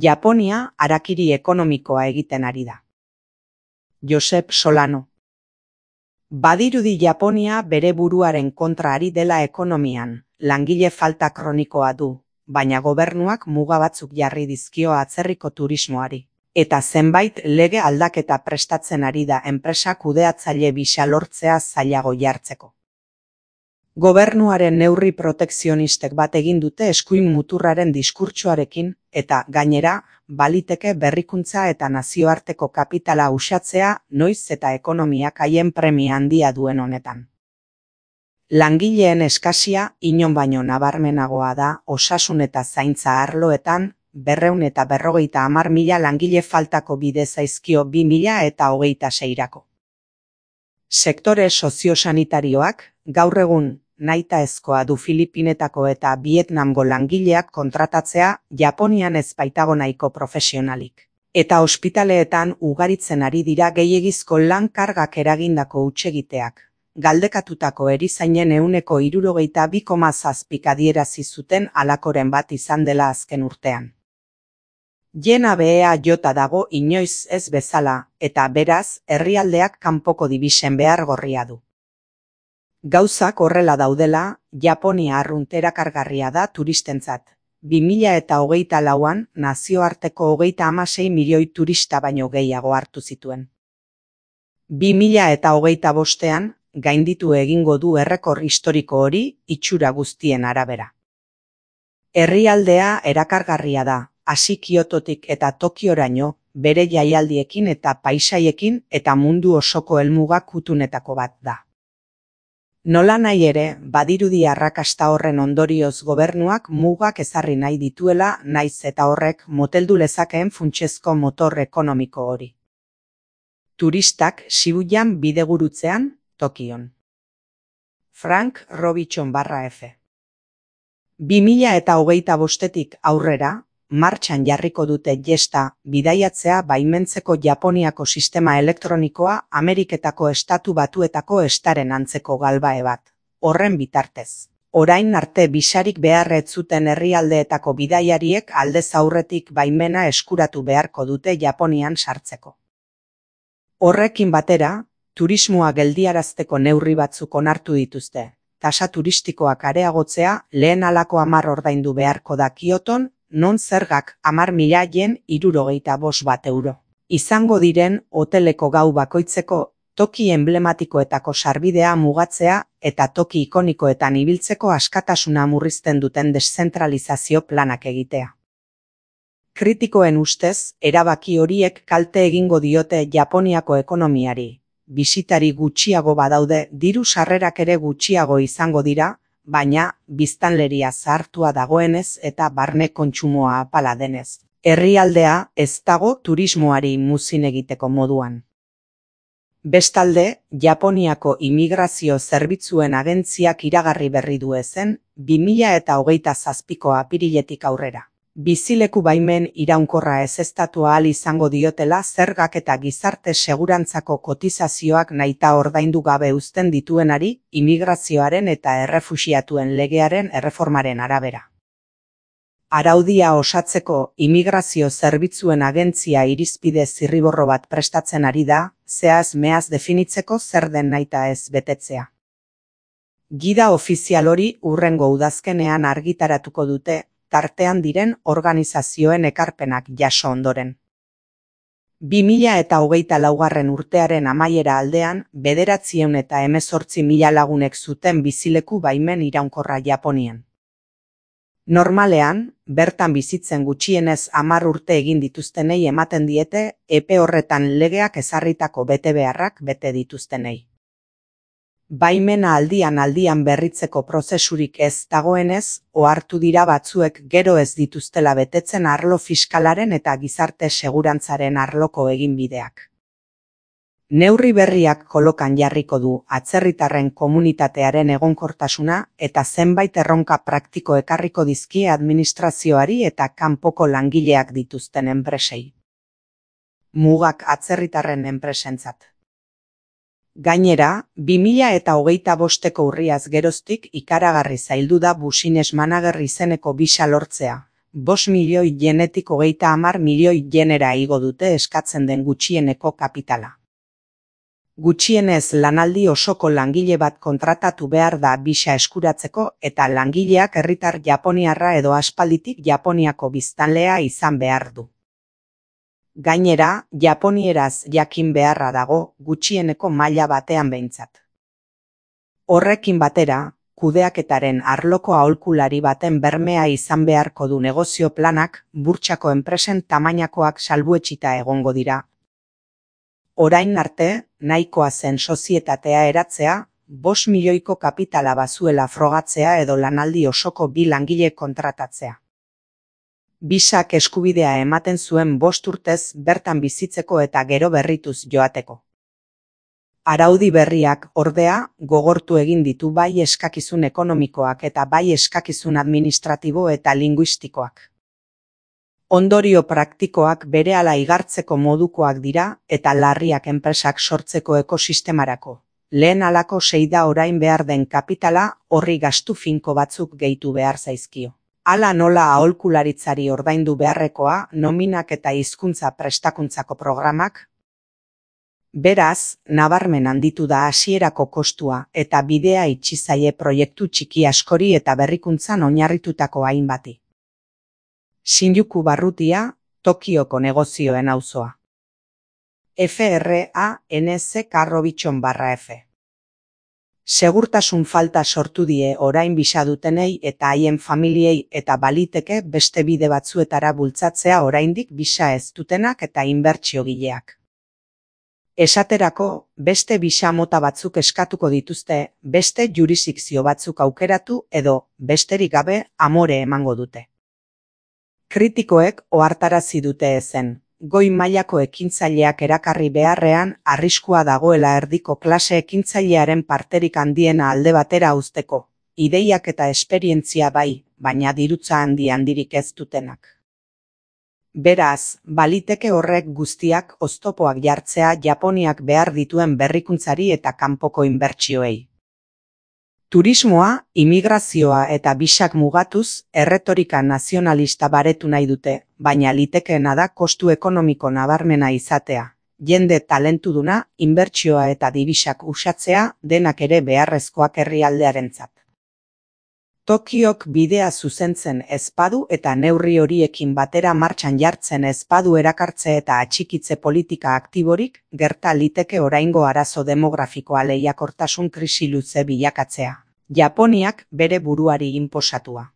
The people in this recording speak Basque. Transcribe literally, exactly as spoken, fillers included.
Japonia harakiri ekonomikoa egiten ari da. Josep Solano. Badirudi Japonia bere buruaren kontra ari dela ekonomian, langile falta kronikoa du, baina gobernuak muga batzuk jarri dizkio atzerriko turismoari. Eta zenbait lege aldaketa prestatzen ari da enpresa kudeatzaile bisa lortzea zailago jartzeko. Gobernuaren neurri protekzionistek bat egin dute eskuin muturraren diskurtsoarekin eta gainera baliteke berrikuntza eta nazioarteko kapitala uxatzea noiz eta ekonomiak haien premia handia duen honetan. Langileen eskasia inon baino nabarmenagoa da osasun eta zaintza arloetan, berreun eta berrogeita hamar mila langile faltako bide zaizkio bi mila eta hogeita seirako. Sektore soziosanitarioak gaur egun nahitaezkoa du Filipinetako eta Vietnamgo langileak kontratatzea Japonian ez baitago nahiko profesionalik. Eta ospitaleetan ugaritzen ari dira gehiegizko lan kargak eragindako hutsegiteak. Galdekatutako erizainen ehuneko hirurogeita bi koma zazpik adierazi zuten halakoren bat izan dela azken urtean. Jena behea jota dago inoiz ez bezala, eta beraz, herrialdeak kanpoko dibisen behar gorria du. Gauzak horrela daudela, Japonia arrunt erakargarria da turistentzat. bi mila eta hogeita lauan nazioarteko hogeita hamasei milioi turista baino gehiago hartu zituen. bi mila eta hogeita bostean, gainditu egingo du errekor historiko hori itxura guztien arabera. Herrialdea erakargarria da, hasi Kyototik eta Tokioraino, bere jaialdiekin eta paisaiekin eta mundu osoko helmuga kutunetako bat da. Nola nahi ere, badirudi arrakasta horren ondorioz gobernuak mugak ezarri nahi dituela naiz eta horrek moteldu lezakeen funtsezko motor ekonomiko hori. Turistak Shibuyan bidegurutzean, Tokion. Frank Robichon barra F. bi mila eta hogeita bostetik aurrera, martxan jarriko dute jesta bidaiatzea baimentzeko Japoniako sistema elektronikoa Ameriketako estatu batuetako estaren antzeko galbae bat. Horren bitartez. Orain arte bisarik beharret zuten herrialdeetako bidaiariek aldez aurretik baimena eskuratu beharko dute Japonian sartzeko. Horrekin batera, turismoa geldiarazteko neurri batzuk onartu dituzte. Tasa turistikoak areagotzea lehen halako hamar ordaindu beharko da Kyoton, non zergak hamar mila yen hirurogeita bost bat euro. Izango diren hoteleko gau bakoitzeko toki emblematikoetako sarbidea mugatzea eta toki ikonikoetan ibiltzeko askatasuna murrizten duten deszentralizazio planak egitea. Kritikoen ustez, erabaki horiek kalte egingo diote Japoniako ekonomiari. Bisitari gutxiago badaude, diru sarrerak ere gutxiago izango dira, baina biztanleria zahartua dagoenez eta barne kontsumoa apala denez. Herrialdea ez dago turismoari muzin egiteko moduan. Bestalde, Japoniako imigrazio zerbitzuen agentziak iragarri berri du ezen, bi mila eta hogeita zazpiko apiriletik aurrera. Bizileku baimen iraunkorra ezeztatu ahal izango diotela zergak eta gizarte segurantzako kotizazioak nahita ordaindu gabe uzten dituenari imigrazioaren eta errefuxiatuen legearen erreformaren arabera. Araudia osatzeko imigrazio zerbitzuen agentzia irizpide zirriborro bat prestatzen ari da, zehaz meaz definitzeko zer den nahita ez betetzea. Gida ofizial hori hurrengo udazkenean argitaratuko dute, tartean diren organizazioen ekarpenak jaso ondoren. bi mila eta hogeita laugarren urtearen amaiera aldean, bederatziehun eta hemezortzi mila lagunek zuten bizileku baimen iraunkorra Japonian. Normalean, bertan bizitzen gutxienez hamar urte egin dituztenei ematen diete, epe horretan legeak ezarritako betebeharrak bete dituztenei. Baimena aldian aldian berritzeko prozesurik ez dagoenez, ohartu dira batzuek gero ez dituztela betetzen arlo fiskalaren eta gizarte segurantzaren arloko eginbideak. Neurri berriak kolokan jarriko du atzerritarren komunitatearen egonkortasuna eta zenbait erronka praktiko ekarriko dizkie administrazioari eta kanpoko langileak dituzten enpresei. Mugak atzerritarren enpresentzat. Gainera, bi mila eta hogeita bosteko urriaz geroztik ikaragarri zaildu da Business Manager izeneko bisa lortzea, bost milioi yenetik hogeita hamar milioi yenera igo dute eskatzen den gutxieneko kapitala. Gutxienez lanaldi osoko langile bat kontratatu behar da bisa eskuratzeko eta langileak herritar japoniarra edo aspalditik Japoniako biztanlea izan behar du. Gainera, japonieraz jakin beharra dago gutxieneko maila batean behintzat. Horrekin batera, kudeaketaren arloko aholkulari baten bermea izan beharko du negozio planak, burtsako enpresen tamainakoak salbuetsita egongo dira. Orain arte, nahikoa zen sozietatea eratzea, bost milioiko kapitala bazuela frogatzea edo lanaldi osoko bi langile kontratatzea. Bisak eskubidea ematen zuen bost urtez bertan bizitzeko eta gero berrituz joateko. Araudi berriak, ordea, gogortu egin ditu bai eskakizun ekonomikoak eta bai eskakizun administratibo eta linguistikoak. Ondorio praktikoak berehala igartzeko modukoak dira eta larriak enpresak sortzeko ekosistemarako. Lehen halako sei da orain behar den kapitala horri gastu finko batzuk gehitu behar zaizkio. Hala nola aholkularitzari ordaindu beharrekoa, nominak eta hizkuntza prestakuntzako programak. Beraz, nabarmen handitu da hasierako kostua eta bidea itxi zaie proiektu txiki askori eta berrikuntzan oinarritutako hainbati. Shinjuku barrutia, Tokioko negozioen auzoa. F R A N Z Karrobitxon barra F. Segurtasun falta sortu die orain bisa dutenei eta haien familiei eta baliteke beste bide batzuetara bultzatzea oraindik bisa ez dutenak eta inbertsiogileak. Esaterako, beste bisa mota batzuk eskatuko dituzte, beste jurisdikzio batzuk aukeratu edo, besterik gabe, amore emango dute. Kritikoek ohartarazi dute ezen, goi mailako ekintzaileak erakarri beharrean arriskua dagoela erdiko klase ekintzailearen parterik handiena alde batera uzteko, ideiak eta esperientzia bai, baina dirutza handi handirik ez dutenak. Beraz, baliteke horrek guztiak oztopoak jartzea Japoniak behar dituen berrikuntzari eta kanpoko inbertsioei. Turismoa, imigrazioa eta bisak mugatuz, erretorika nazionalista baretu nahi dute, baina litekeena da kostu ekonomiko nabarmena izatea. Jende talentuduna, inbertsioa eta dibisak usatzea denak ere beharrezkoak herrialdearentzat. Tokiok bidea zuzentzen ezpadu eta neurri horiekin batera martxan jartzen ezpadu erakartze eta atxikitze politika aktiborik, gerta liteke oraingo arazo demografikoa lehiakortasun krisi luze bilakatzea. Japoniak bere buruari inposatua.